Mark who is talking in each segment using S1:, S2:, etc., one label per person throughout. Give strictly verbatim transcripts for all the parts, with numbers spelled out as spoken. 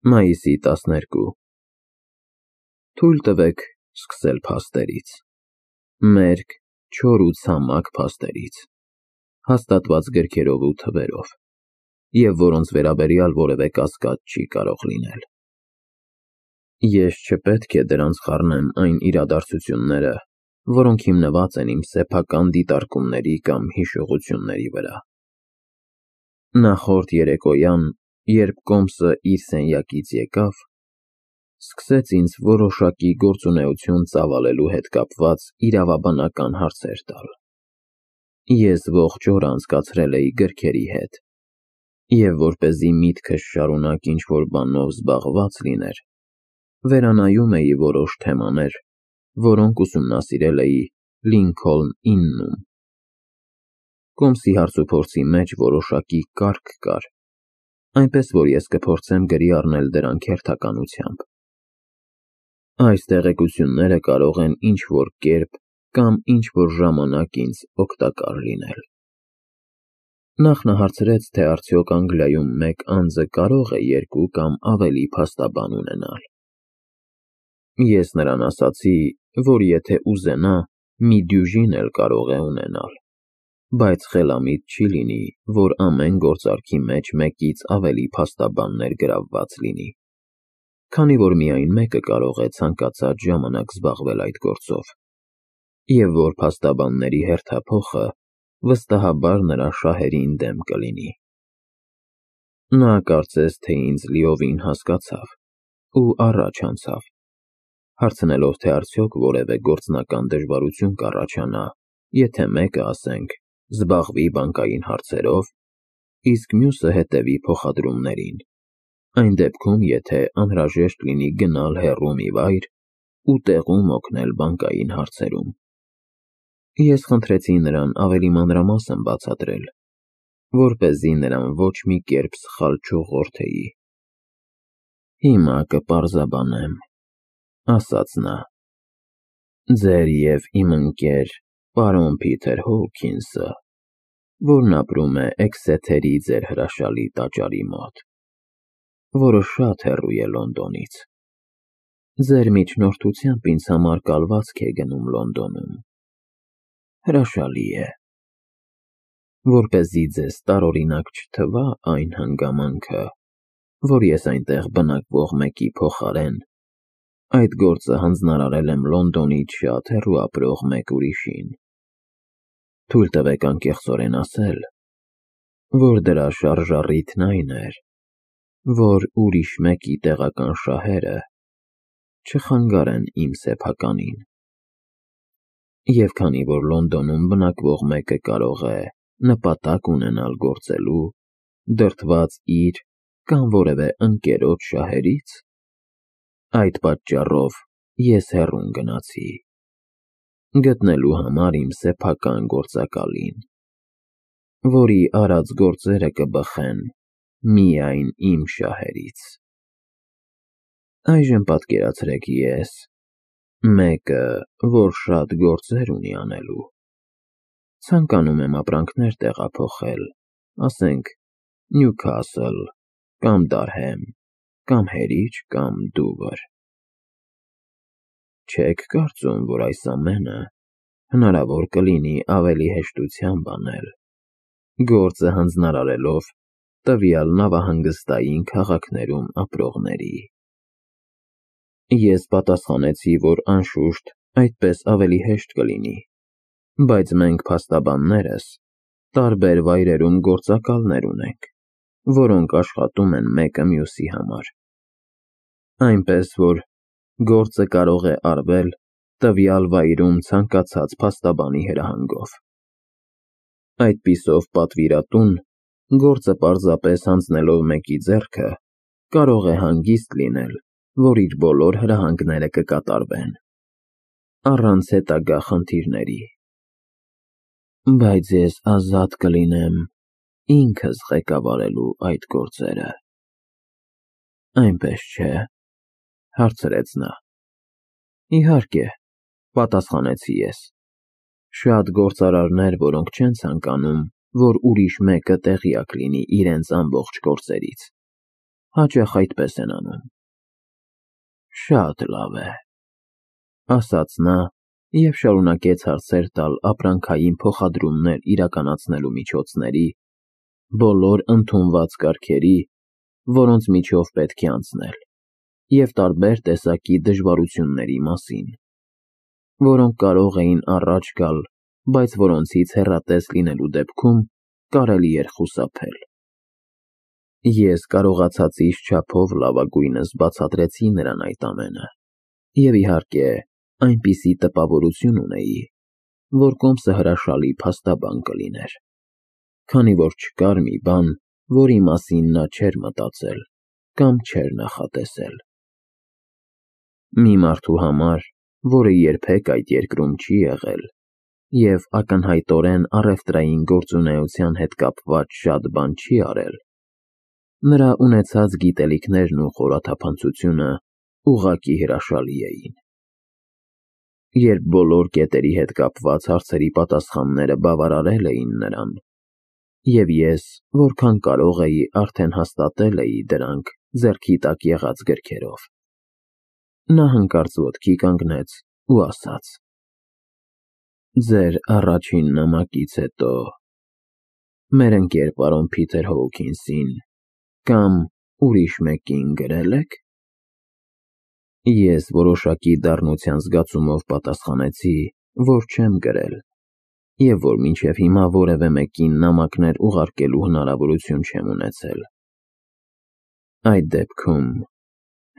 S1: Մայիսի տասներկու Թույլ տվեք սկսել փաստերից, մերկ, չոր ու ցամաք փաստերից, հաստատված գրքերով ու թվերով, և որոնց վերաբերյալ որևէ կասկած չի կարող լինել։ Ես չպետք է դրանց խառնեմ այն իրադարձությունները, որոնք հիմնված են իմ սեփական դիտարկումների կամ հիշողությունների վրա։ Նախորդ երեկոյան, երբ Կոմսը իր սենյակից եկավ, սկսեց ինձ որոշակի գործունեություն ծավալելու հետ կապված իրավաբանական հարցեր տալ։ Ես ողջ օրը անցկացրել էի գրքերի հետ, և որպեսզի միտքս շարունակ ինչ-որ բանով զբաղված լիներ, վերանայում էի որոշ թեմաներ, որոնք ուսումնասիրել էի Լինքոլն իննում։ Կոմսի հարցուփորձի մեջ որոշակի կարգ կար, այնպես որ ես կփորձեմ գրի առնել դրանք հերթականությամբ։ Այս տեղեկությունները կարող են ինչ-որ կերպ կամ ինչ-որ ժամանակ ինձ օգտակար լինել։ Նախ նա հարցրեց, թե արդյոք Անգլիայում մեկ անձը կարող է երկու կամ ավելի փաստաբան ունենալ։ Ես նրան ասացի, որ եթե ուզենա, մի դյուժին էլ կարող է ունենալ, բայց խելամիտ չի լինի, որ ամեն գործարքի մեջ մեկից ավելի փաստաբաններ գրավված լինի, քանի որ միայն մեկը կարող է ցանկացած ժամանակ զբաղվել այդ գործով, և որ փաստաբանների հերթափոխը վստահաբար նրա շահերին դեմ կլինի։ Նա կարծես թե ինձ լիովին հասկացավ ու առաջ անցավ, հարցնելով, թե արդյոք որևէ գործնական դժվարություն կառաջանա, եթե մեկը, ասենք, զբաղվի բանկային հարցերով, իսկ մյուսը հետևի փոխադրումներին, այն դեպքում, եթե անհրաժեշտ լինի գնալ հեռու մի վայր ու տեղում օգնել բանկային հարցերում։ Ես խնդրեցի նրան ավելի մանրամասն բացատրել, որպեսզի նրան ոչ մի կերպ սխալ չուղղորդեի։ Հիմա կպարզաբանեմ, ասաց նա, ձեր և իմ ընկեր պարոն Փիթեր Հոուքինսը, որն ապրում է Էքսեթերի ձեր հրաշալի տաճարի մոտ, որը շատ հեռու է Լոնդոնից, ձեր միջնորդությամբ ինձ համար կալվածք է գնում Լոնդոնում, հրաշալի է։ Որպեսզի ձեզ տարօրինակ չթվա այն հանգամանքը, որ ես այնտեղ բնակվող մեկի փոխարեն այդ գործը հանձնարարել եմ Լոնդոնից շատ հեռու ապրող մեկ ուրիշին։ Թույլ տվեք անկեղծորեն ասել, որ դրա շարժառիթն այն էր, որ ուրիշ մեկի տեղական շահերը չխանգարեն իմ սեփականին։ Եվ քանի որ Լոնդոնում բնակվող մեկը կարող է նպատակ ունենալ գործելու, դրդված իր կամ որևէ ընկերոջ շահերից, այդ պատճառով ես հեռուն գնացի, գտնելու համար իմ սեփական գործակալին, որի արած գործերը կբխեն միայն իմ շահերից։ Այժմ պատկերացրեք ես, մեկը, որ շատ գործեր ունի անելու, ցանկանում եմ ապրանքներ տեղափոխել, ասենք, Նյուքասլ կամ Դարհեմ, կամ հերիչ, կամ Դուվր։ Չե՞ք կարծում, որ այս ամենը հնարավոր կլինի ավելի հեշտությամբ անել, գործը հանձնարարելով տվյալ նավահանգստային քաղաքներում ապրողների։ Ես պատասխանեցի, որ անշուշտ այդպես ավելի հեշտ կլինի, բայց մենք փաստաբաններս տարբեր վայրերում գործակալներ ունենք, որոնք աշխատում են մեկը մյուսի համար, այնպես որ գործը կարող է արվել տվյալ վայրում ցանկացած փաստաբանի հրահանգով։ Այդպիսով պատվիրատուն, գործը պարզապես հանձնելով մեկի ձեռքը, կարող է հանգիստ լինել, որ իր բոլոր հրահանգները կկատարվեն, առանց հետագա խնդիրների։ Բայց ես ազատ կլինեմ ինքս ղեկավարելու այդ գործերը։ Այնպես չէ՞, հարցրեց նա։ Իհարկե, պատասխանեցի ես, շատ գործարարներ, որոնք չեն ցանկանում, որ ուրիշ մեկը տեղյակ լինի իրենց ամբողջ գործերից, Հաճախ այդպես են անում։ Շատ լավ է, ասաց նա և շարունակեց հարցեր տալ ապրանքային փոխադրումներ իրականացնելու միջոցների, բոլոր ընդունված կարգերի, որոնց միջով պետք է անցնել, և տարբեր տեսակի դժվարությունների մասին, որոնք կարող էին առաջ գալ, բայց որոնցից հեռատես լինելու դեպքում կարելի էր խուսափել։ Ես կարողացածիս չափով լավագույնս բացատրեցի նրան այդ ամենը, և իհարկե, այնպիսի տպավորություն ունեի, որ կոմսը հրաշալի փաստաբան կլիներ, քանի որ չկար մի բան, որի մասին նա չէր մտածել կամ չէր նախատեսել։ Մի մարդու համար, որը երբեք այդ երկրում չի եղել և ակնհայտորեն առևտրային գործունեության հետ կապված շատ բան չի արել, նրա ունեցած գիտելիքներն ու խորաթափանցությունը ուղղակի հրաշալի էին։ Երբ բոլոր կետերի հետ կապված հարցերի պատասխանները բավարարել էին նրան, և ես, որքան կարող էի, արդեն հաստատել էի դրանք ձեռքի տակ եղած գրքերով, նա հանկարծ ոտքի կանգնեց ու ասաց. Ձեր առաջին նամակից հետո մեր ընկեր պարոն Փիթեր Հոուքինսին կամ ուրիշ մեկին գրե՞լ եք։ Ես որոշակի դառնության զգացումով պատասխանեցի, որ չեմ գրել, և որ մինչև հիմա որևէ մեկին նամակներ ուղարկելու հնարավորություն չեմ ունեցել։ Այդ դեպքում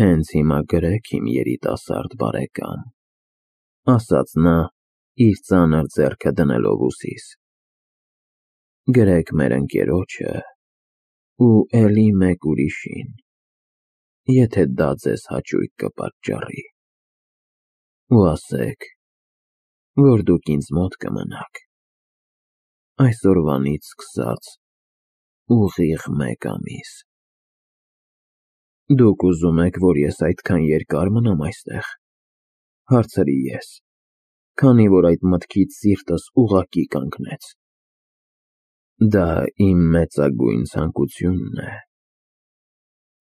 S1: հենց հիմա գրեք, իմ երիտասարդ բարեկամ, ասաց նա, իր ծանր ձեռքը դնելով ուսիս, գրեք մեր ընկերոջը ու էլի մեկ ուրիշին, եթե դա ձեզ հաճույք կպատճառի, ու ասեք, որ դուք ինձ մոտ կմնաք այսօրվանից սկսած ուղիղ մեկ ամիս։ Դուք ուզում եք, որ ես այդքան երկար մնամ այստեղ, հարցրի ես, քանի որ այդ մտքից սիրտս ուղղակի կանգնեց։ Դա իմ մեծագույն ցանկությունն է,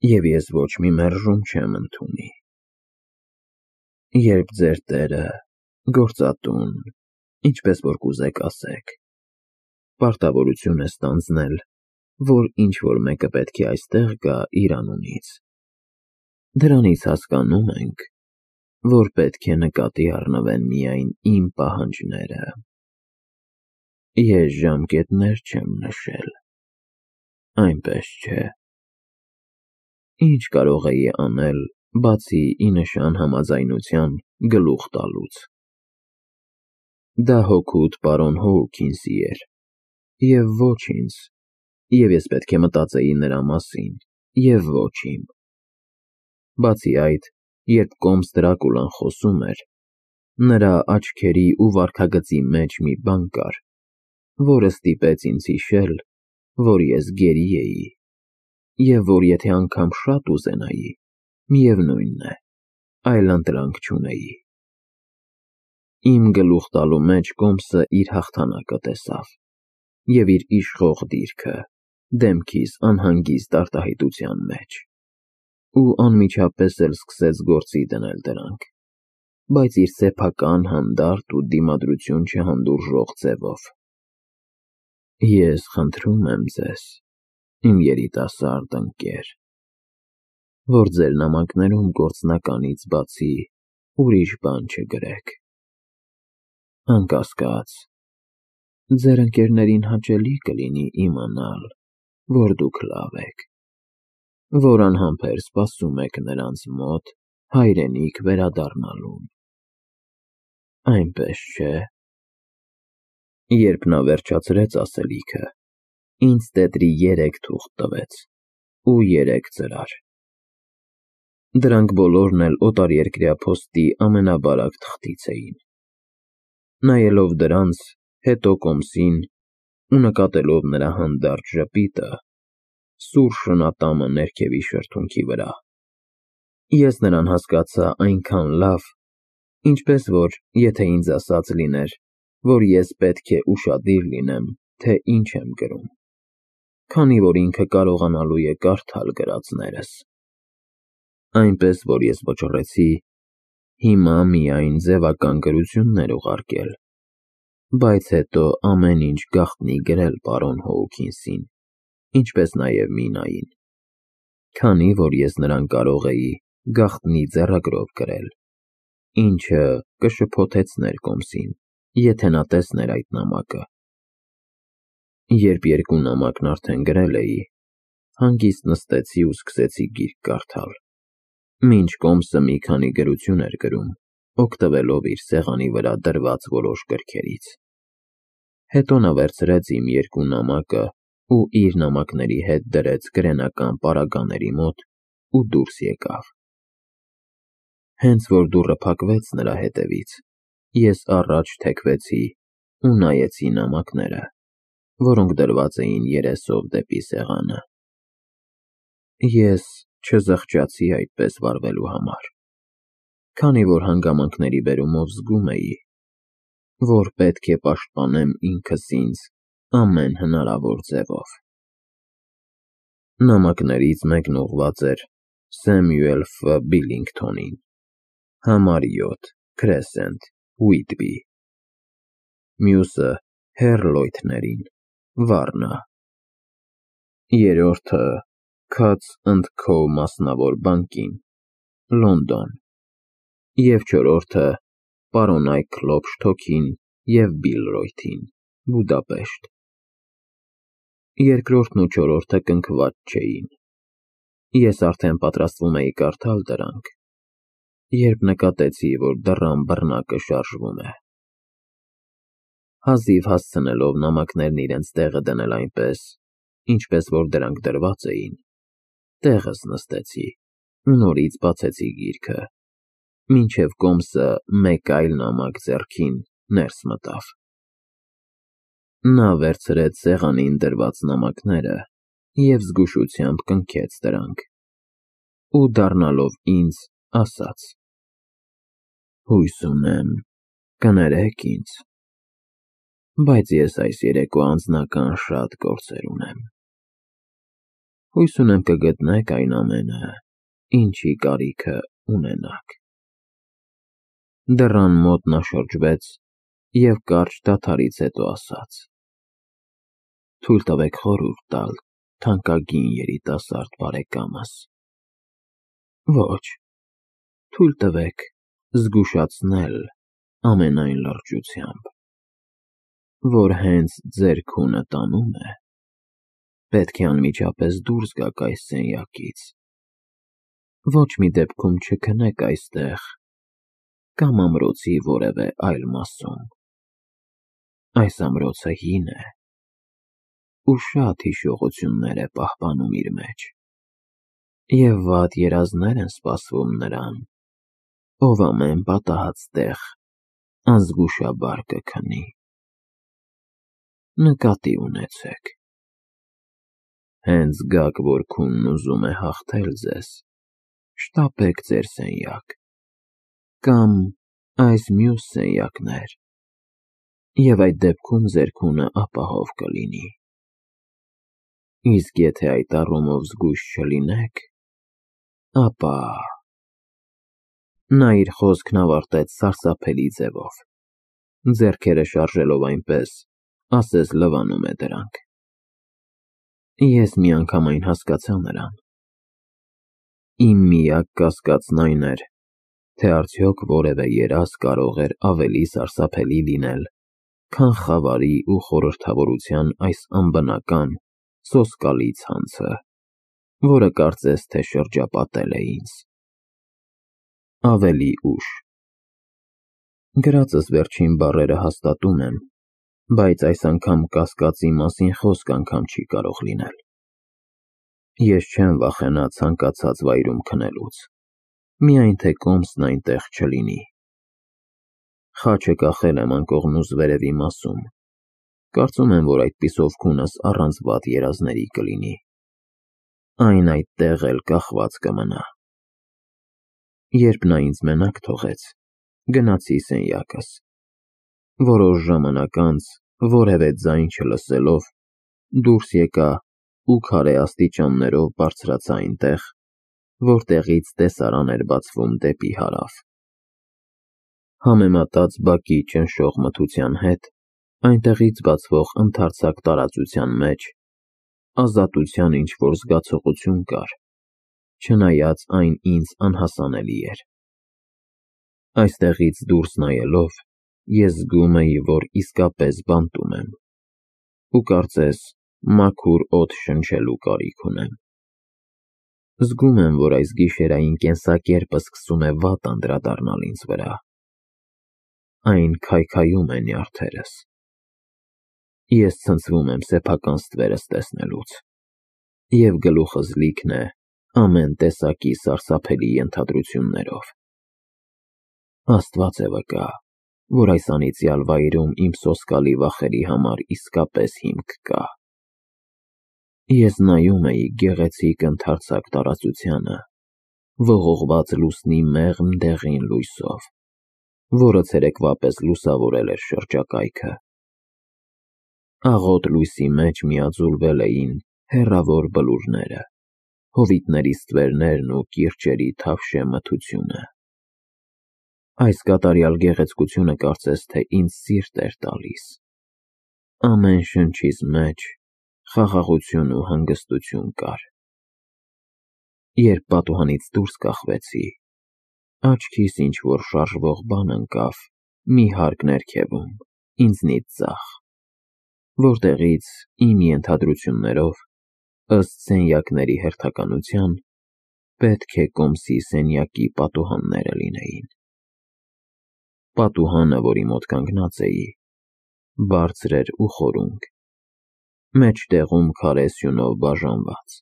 S1: և ես ոչ մի մերժում չեմ ընդունի։ Երբ ձեր տերը, գործատուն, ինչպես որ կուզեք ասեք, պարտավորություն է ստանձնել, որ ինչ-որ մեկը պետք է այստեղ գա իր անունից, դրանից հասկանում ենք, որ պետք է նկատի առնվեն միայն իմ պահանջները։ Ես ժամկետներ չեմ նշել, այնպես չէ։ Ինչ կարող էի անել, բացի ի նշան համաձայնության գլուխ տալուց։ Դա հօգուտ պարոն Հոուքինսի էր, և ոչ ինձ, և ես պետք է մտածեի նրա մասին, և ոչ իմ։ Բացի այդ, երբ կոմս Դրակուլան խոսում էր, նրա աչքերի ու վարքագծի մեջ մի բան կար, որը ստիպեց ինձ հիշել, որ ես գերի էի, և որ եթե անգամ շատ ուզենայի, միևնույն է, այլընտրանք չունեի։ Իմ գլուխ տալու մեջ կոմսը իր հաղթանակը տեսավ, և իր իշխող դիրքը դեմքիս անհանգիստ արտահայտության մեջ, ու անմիջապես էլ սկսեց գործի դնել դրանք, բայց իր սեփական, հանդարտ ու դիմադրություն չհանդուրժող ձևով։ Ես խնդրում եմ ձեզ, իմ երիտասարդ ընկեր, որ ձեր նամակներում գործնականից բացի ուրիշ բան չգրեք։ Անկասկած, ձեր ընկերներին հաճելի կլինի իմանալ, որ դուք լավ եք, որ անհամբեր սպասում եք նրանց մոտ հայրենիք վերադառնալուն։ Այնպես չէ։ Երբ նա վերջացրեց ասելիքը, ինձ տետրի երեք թուղթ տվեց ու երեք ծրար։ Դրանք բոլորն էլ օտարերկրյա փոստի ամենաբարակ թղթից էին։ Նայելով դրանց, հետո կոմսին ու նկատելով նրա հանդարտ ժպիտը, սուր շնատամը ներքևի շրթունքի վրա, ես նրան հասկացա այնքան լավ, ինչպես որ եթե ինձ ասած լիներ, որ ես պետք է ուշադիր լինեմ, թե ինչ եմ գրում, քանի որ ինքը կարողանալու է կարդալ գրածներս։ Այնպես, որ ես վճռեցի հիմա միայն ձևական գրություններ ուղարկել, բայց հետո ամեն ինչ գաղտնի գրել պարոն Հոուքինսին, ինչպես նաև Մինային, քանի որ ես նրան կարող էի գաղտնի ձեռագրով գրել, ինչը կշփոթեցներ Կոմսին, եթե նա տեսներ այդ նամակը։ Երբ երկու նամակն արդեն գրել էի, հանգիստ նստեցի ու սկսեցի գիրք կարդալ, մինչ Կոմսը մի քանի գրություն էր գրում, օգտվելով իր սեղանի վրա դրված որոշ գրքերից։ Հետո նա վերցրեց իմ երկու նամակը ու իր նամակների հետ դրեց գրենական պարագաների մոտ ու դուրս եկավ։ Հենց որ դուռը փակվեց նրա հետևից, ես առաջ թեքվեցի ու նայեցի նամակները, որոնք դրված էին երեսով դեպի սեղանը։ Ես չզղջացի այդպես վարվելու համար, քանի որ հանգամանքների բերումով զգում էի, որ պետք է պաշտպանեմ ինքս ինձ ամեն հնարավոր ձևով։ Նամակներից մեկն ուղղված էր Սեմյուել Ֆ. Բիլլինգթոնին, համար յոթ, Քրեսենթ, Ուիտբի, մյուսը հեռ Լոյթներին, Վառնա, երրորդը Քաթզ ընդ Քո մասնավոր բանկին, Լոնդոն, և չորրորդը պարոն Այքլոփշթոքին և Բիլ Ռոյթին, Բուդապեշտ։ Երկրորդն ու չորրորդը կնքված չէին։ Ես արդեն պատրաստվում էի կարդալ դրանք, երբ նկատեցի, որ դռան բռնակը շարժվում է։ Հազիվ հասցնելով նամակներն իրենց տեղը դնել այնպես, ինչպես որ դրանք դրված էին, տեղս նստեցի ու նորից բացեցի գիրքը, մինչև Կոմսը մեկ այլ նամակ ձեռքին ներս մտավ։ Նա վերցրեց սեղանին դրված նամակները և զգուշությամբ կնքեց դրանք ու դառնալով ինձ, ասաց. «Հույս ունեմ, կներեք ինձ, բայց ես այս երեկո անձնական շատ գործեր ունեմ։ Հույս ունեմ կգտնեք այն ամենը, ինչի կարիքը ունենաք»։ Դռան մոտ նա շրջվեց և կարճ դադարից հետո ասաց. «Թույլ տվեք խորհուրդ տալ թանկագին երիտասարդ բարեկամս։ Ոչ, թույլ տվեք զգուշացնել ամենայն լրջությամբ, որ հենց ձեր քունը տանում է, պետք է անմիջապես դուրս գաք այս սենյակից, ոչ մի դեպքում չքնեք այստեղ կամ ամրոցի որևէ այլ մասում։ Այս ամրոցը հին է ու շատ հիշողություններ է պահպանում իր մեջ, և վատ երազներ են սպասվում նրան, ով ամեն պատահած տեղ անզգուշաբար կքնի։ Նկատի ունեցեք։ Հենց զգաք, որ քունն ուզում է հաղթել ձեզ, շտապեք ձեր սենյակ կամ այս մյուս սենյակներ, և այդ դեպքում ձեր քունը ապահով կլինի։ Իսկ եթե այդ առումով զգույշ չլինեք, ապա…» Նա իր խոսքն ավարտեց սարսափելի ձևով, ձեռքերը շարժելով այնպես, ասես լվանում է դրանք։ Ես միանգամայն հասկացա նրան։ Իմ միակ կասկածն այն էր, թե արդյոք որևէ երազ կարող էր ավելի սարսափելի լինել, քան խավարի ու խորհրդավորության այս անբնական, սոսկալի ցանցը, որը կարծես թե շրջապատել է ինձ։ Ավելի ուշ։ Գրածս վերջին բառերը հաստատում եմ, բայց այս անգամ կասկածի մասին խոսք անգամ չի կարող լինել։ Ես չեմ վախենա ցանկացած վայրում քնելուց, միայն թե Կոմսն այնտեղ չլինի։ Խաչը կախել եմ անկողնուս վերևի մասում, կարծում եմ, որ այդպիսով քունս առանց վատ երազների կլինի։ Այն այդտեղ էլ կախված կմնա։ Երբ նա ինձ մենակ թողեց, գնացի սենյակս։ Որոշ ժամանակ անց, որևէ ձայն որտեղից տեսարան էր բացվում դեպի հարավ։ Համեմատած բակի ճնշող մթության հետ, այնտեղից բացվող ընդարձակ տարածության մեջ ազատության ինչ-որ զգացողություն կար, չնայած այն ինձ անհասանելի էր։ Այստեղից դուրս նայելով, ես զգում էի, որ իսկապես բանտում եմ, ու կարծես մաքուր օդ շնչելու կարիք ունեմ։ Զգում եմ, որ այս գիշերային կենսակերպը սկսում է վատ անդրադառնալ ինձ վրա։ Այն քայքայում է նյարդերս։ Ես ցնցվում եմ սեփական ստվերս տեսնելուց, և գլուխս լիքն է ամեն տեսակի սարսափելի ենթադրություններով։ Աստված է վկա, որ այս անիծյալ վայրում իմ սոսկալի վախերի համար իսկապես հիմք կա։ Ես նայում էի գեղեցիկ ընդարձակ տարածությանը, ողողված լուսնի մեղմ դեղին լույսով, որը ցերեկվա պես լուսավորել էր շրջակայքը։ Աղոտ լույսի մեջ միաձուլվել էին հեռավոր բլուրները, հովիտների ստվերներն ու կիրճերի թավշյա մթությունը։ Այս կատարյալ գեղեցկությունը կարծես թե ինձ սիրտ էր տալիս։ Ամեն շնչիս մեջ խաղաղություն ու հանգստություն կար։ Երբ պատուհանից դուրս կախվեցի, աչքիս ինչ-որ շարժվող բան ընկավ մի հարկ ներքևում, ինձնից ձախ, որտեղից, իմ ենթադրություններով, ըստ սենյակների հերթականության, պետք է կոմսի սենյակի պատուհանները լինեին։ Պատուհանը, որի մոտ կանգնած էի, բարձր էր ու խորունկ, մեջտեղում քարե սյունով բաժանված,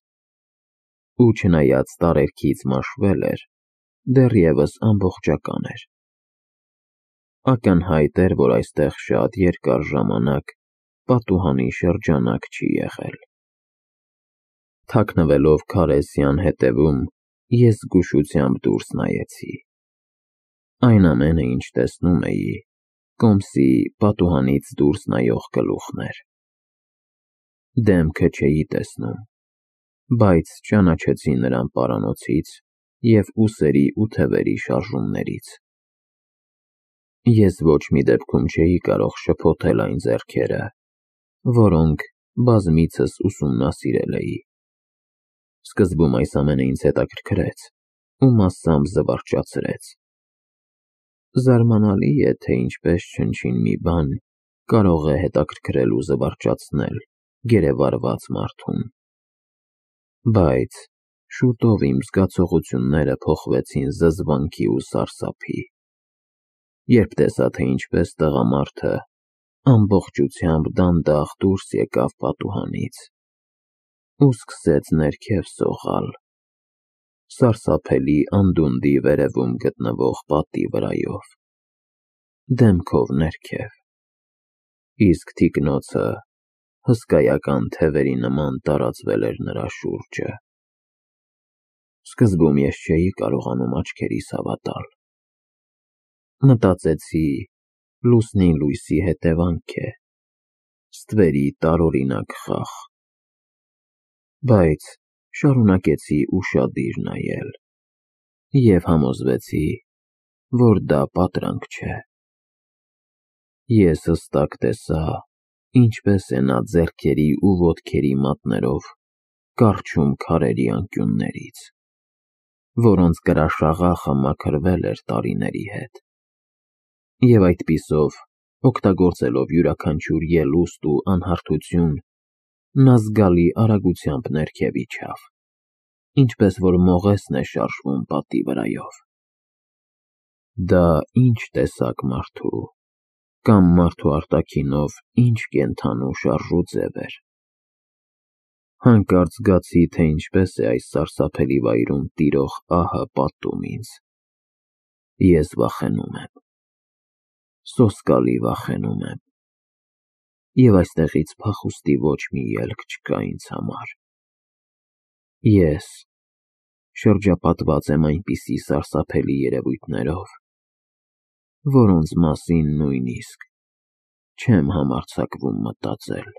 S1: ու չնայած տարերքից մաշվել էր, դեռևս ամբողջական էր։ Ակնհայտ էր, որ այստեղ շատ երկար ժամանակ պատուհանի շրջանակ չի եղել։ Թաքնվելով քարե սյան հետևում, ես զգուշությամբ դուրս նայեցի։ Այն ամենը, ինչ տեսնում էի, կոմսի պատուհանից դուրս նայող գլուխն էր։ Դեմքը չէի տեսնում, բայց ճանաչեցի նրան պարանոցից և ուսերի ու թևերի շարժումներից։ Ես ոչ մի դեպքում չէի կարող շփոթել այն ձեռքերը, որոնք բազմիցս ուսումնասիրել էի։ Սկզբում այս ամենը ինձ հետաքրքրեց ու մասամբ զվարճացրեց։ Զարմանալի է, թե ինչպես չնչին մի բան կարող է հետաքրքրել ու զվարճացնել գերեվարված մարդուն։ Բայց շուտով իմ զգացողությունները փոխվեցին զզվանքի ու սարսափի, երբ տեսա, թե ինչպես տղամարդը ամբողջությամբ դանդաղ դուրս եկավ պատուհանից ու սկսեց ներքև սողալ սարսափելի անդունդի վերևում գտնվող պատի վրայով, դեմքով ներքև, իսկ թիկնոցը հսկայական թևերի նման տարածվել էր նրա շուրջը։ Սկզբում ես չէի կարողանում աչքերիս հավատալ։ Մտածեցի, լուսնի լույսի հետևանք է, ստվերի տարօրինակ խաղ։ Բայց շարունակեցի ուշադիր նայել և համոզվեցի, որ դա պատրանք չէ։ Ես հստակ տեսա, ինչպես է նա ձեռքերի ու ոտքերի մատներով կառչում քարերի անկյուններից, որոնց կրաշաղախը մաքրվել էր տարիների հետ, և այդպիսով, օգտագործելով յուրաքանչյուր ելուստ ու անհարթություն, նա զգալի արագությամբ ներքև իջավ, ինչպես որ մողեսն է շարժվում պատի վրայով։ Դա ինչ տեսակ մարդու կամ մարդու արտաքինով ինչ կենդանու շարժուձև էր։ Հանկարծ զգացի, թե ինչպես է այս սարսափելի վայրում տիրող ահը պատում ինձ։ Ես վախենում եմ, սոսկալի վախենում եմ, և այստեղից փախուստի ոչ մի ելք չկա ինձ համար։ Ես շրջապատված եմ այնպիսի սարսափելի երևույթներով, որոնց մասին նույնիսկ չեմ համարձակվում մտածել։